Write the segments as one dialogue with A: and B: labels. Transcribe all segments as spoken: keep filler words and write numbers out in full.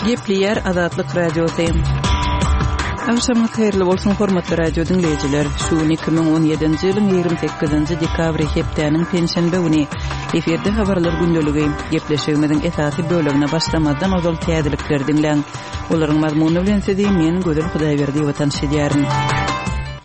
A: Gepleýär Azatlyk Radiosy. Agşamyňyz haýyrly bolsun, hormatly radio diňleýjiler. Şu gün iki müň on ýedinji ýylyň ýigrimi sekizinji dekabry, hepdäniň penşenbe güni. Efirde habarlar gündeligi. Gepleşigimiziň esasy bölegine başlamazdan ozal täzelikleri diňläň. Olaryň mazmuny bilen sizi men Gözel Hudaýberdiýewa tanyş edýärin.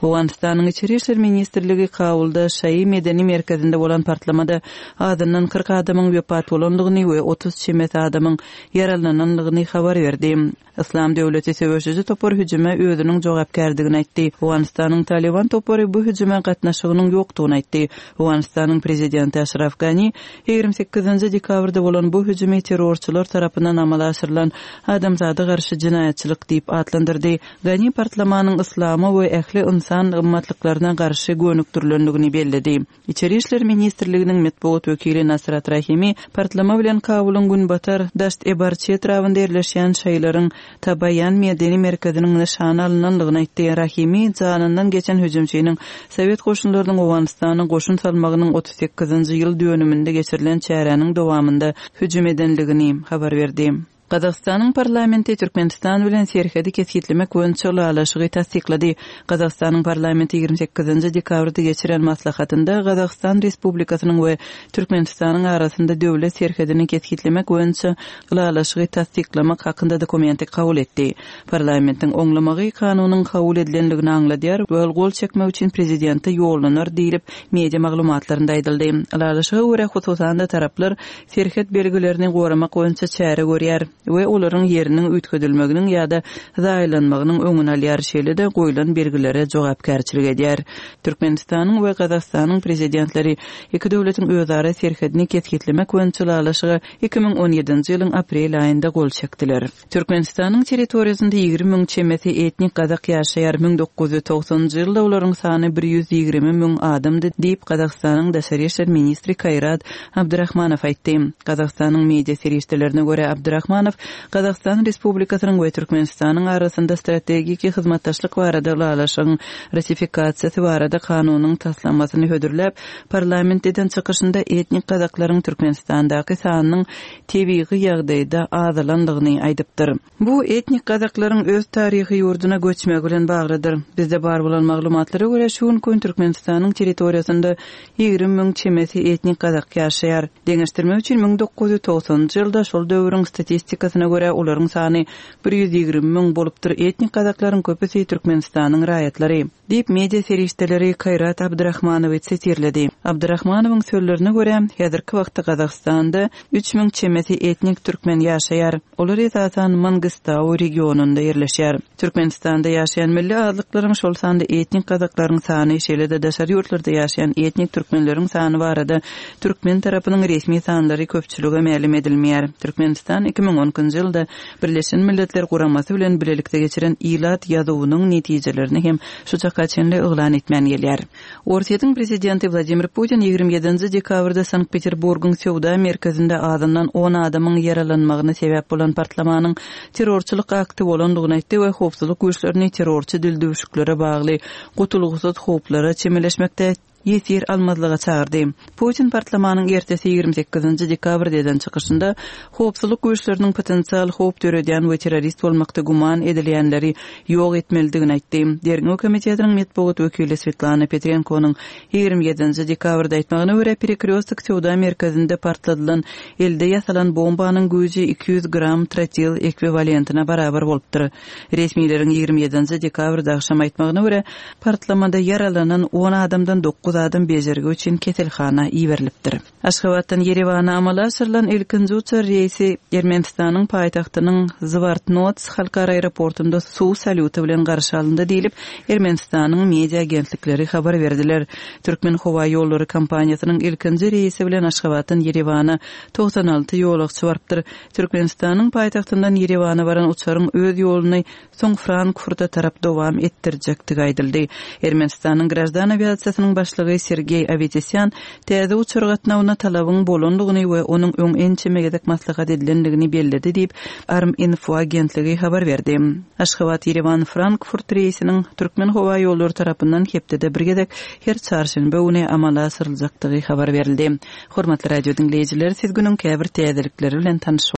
A: Owganystanyň Içeri işler ministrligi Kabulda Şaýy medeni merkezinde bolan partlamada azyndan kyrk adamyň wepat bolandygyny we otuz çemesi adamyň ýaralanandygyny habar berdi. Yslam döwleti söweşiji topar hüjüme özüniň jogapkärdigini aýtdy. Owganystanyň Talyban topary bu hüjüme gatnaşygynyň ýokdugyny aýtdy. Owganystanyň prezidenti Aşraf Gani ýigrimi sekizinji dekabrda bolan bu hüjümi terrorçylar tarapyndan amala aşyrylan adamzada garşy jenaýatçylyk diýip atlandyrdy. Gani partlamanyň yslama we ähli ynsan gymmatlyklaryna garşy gönükdirilendigini belledi. Içeri işler ministrliginiň metbugat wekili Nasrat Rahimi partlama bilen Kabulyň günbatar Daşt-e-Barçy etrabynda ýerleşýän şaýlaryň Tabaýan medeni merkeziniň nyşana alynandygyny aýtdy. Rahimi janyndan geçen hüjümçiniň Sowet goşunlarynyň Owganystana goşun salmagynyň otuz sekizinji ýyl dönüminde geçirilen çäräniň dowamynda hüjüm edenligini habar berdi. Gazagystanyň parlamenti Türkmenistan bilen serhedi kesgitlemek boýunça ylalaşygy tassyklady. Gazagystanyň parlamenti ýigrimi sekizinji dekabrda geçiren maslahatynda Gazagystan Respublikasynyň we Türkmenistanyň arasynda döwlet serhedini kesgitlemek boýunça ylalaşygy tassyklamak hakynda dokumenti kabul etdi. Parlamentiň oňlamagy kanunyň kabul edilenligini aňladýar we ol gol çekmek üçin prezidente ýollanar diýlip media maglumatlarynda aýdyldy. Ylalaşyga görä hususan-da taraplar serhet belgilerini goramak boýunça çäre görýär we olaryň ýeriniň üýtgedilmeginiň ýa-da zaýalanmagynyň öňüni alýar, şeýle-de goýlan belgilere jogapkärçilik edýär. Türkmenistanyň we Gazagystanyň prezidentleri iki döwletiň özara serhedini kesgitlemek boýunça ylalaşyga iki müň on ýedinji ýylyň aprel aýynda gol çekdiler. Türkmenistanyň territoriýasynda ýigrimi müň çemesi etnik gazak ýaşaýar. Müň dokuz ýüz togsanynjy ýylda olaryň sany bir ýüz ýigrimi müň adamdy diýip Gazagystanyň daşary işler ministri Kaýrat Abdurahmanow aýtdy. Gazagystanyň media serişdelerine görä Abdurahmanow Gazagystan Respublikasynyň we Türkmenistanyň arasynda strategik hyzmatdaşlyk barada ylalaşygyň ratifikasiýasy barada kanunyň taslamasyny hödürläp, parlament eden çykyşynda etnik gazaklaryň Türkmenistandaky sanynyň tebigy ýagdaýda azalandygyny aýdypdyr. Bu etnik gazaklaryň öz taryhy ýurduna göçmegi bilen baglydyr. Bizde bar bolan maglumatlara görä şu gün Türkmenistanyň territoriýasynda ýigrimi müň çemesi etnik gazak ýaşaýar. Deňeşdirmek üçin müň dokuz ýüz togsanynjy ýylda şol döwrüň statistikasyna görä olaryň sany bir ýüz ýigrimi müň bolupdyr. Etnik gazaklaryň köpüsi Türkmenistanyň raýatlary diýip media serişdeleri Kaýrat Abdurahmanowy sitirledi. Abdurahmanowyň sözlerine görä häzirki wagtda Gazagystanda üç müň çemesi etnik türkmen ýaşaýar. Olar esasan Mangistau regionynda ýerleşýär. Türkmenistanda ýaşaýan milli azlyklaryň şol sanda etnik gazaklaryň sany, şeýle-de daşary ýurtlarda ýaşaýan etnik türkmenleriň sany barada türkmen tarapynyň resmi sanlary köpçülige mälim edilmeýär. Türkmenistan iki müň on ikinji ýylda Birleşen Milletler Guramasy bilen bilelikde geçiren ilat ýazuwynyň netijelerini hem şu çaka çenli yglan etmän gelýär. Orsýetiň prezidenti Wladimir Putin ýigrimi ýedinji dekabrda Sankt-Peterburgyň söwda merkezinde azyndan on adamyň ýaralanmagyna sebäp bolan partlamanyň terrorçylyk akty bolandygyny aýtdy we howpsuzlyk güýçlerini terrorçy dildüwşüklere bagly gutulgysyz howplara çemeleşmekde ýesir almazlyga çagyrdy. Putin partlamanyň ertesi ýigrimi sekizinji dekabrda eden çykyşynda howpsuzlyk güýçleriniň potensial howp döredýän we terrorist bolmakda güman edilýänleri ýok etmelidigini aýtdy. Derňew komitetiniň metbugat wekili Svetlana Petrenkonyň ýigrimi ýedinji dekabrda aýtmagyna görä Perekrýostok söwda merkezinde partladylan elde ýasalan bombanyň güýji iki ýüz gram trotil ekwivalentine barabar bolupdyr. Resmileriň ýigrimi ýedinji dekabrda agşam aýtmagyna görä partlamada ýaralanan on adamdan dokuz adam bejergi üçin keselhana iberilipdir. Aşgabatdan Ýerewana amala aşyrylan ilkinji uçar reýsi Ermenistanyň paýtagtynyň Zwartnots halkara aeroportunda suw salýuty bilen garşy alyndy diýlip Ermenistanyň media agentlikleri habar berdiler. Türkmen howa ýollary kompaniýasynyň ilkinji reýsi bilen Aşgabatdan Ýerewana togsan alty ýolagçy barypdyr. Türkmenistanyň paýtagtyndan Ýerewana baran uçaryň öz ýoluny soň Frankfurta tarap dowam etdirjekdigi aýdyldy. Ermenistanyň graždan awiasiýasynyň başlygy Sergey Avetisyan täze uçar gatnawyna talabyň bolandygyny we onuň öň ençeme gezek maslahat edilendigini belledi diýip Arm Info agentligi habar berdi. Aşgabat Ýerewan Frankfurt reýsiniň Türkmen howa ýollary tarapyndan hepdede bir gezek her çarşenbe güni amala aşyryljakdygy habar berildi. Hormatly radio diňleýjiler, siz günüň käbir täzelikleri bilen tanyş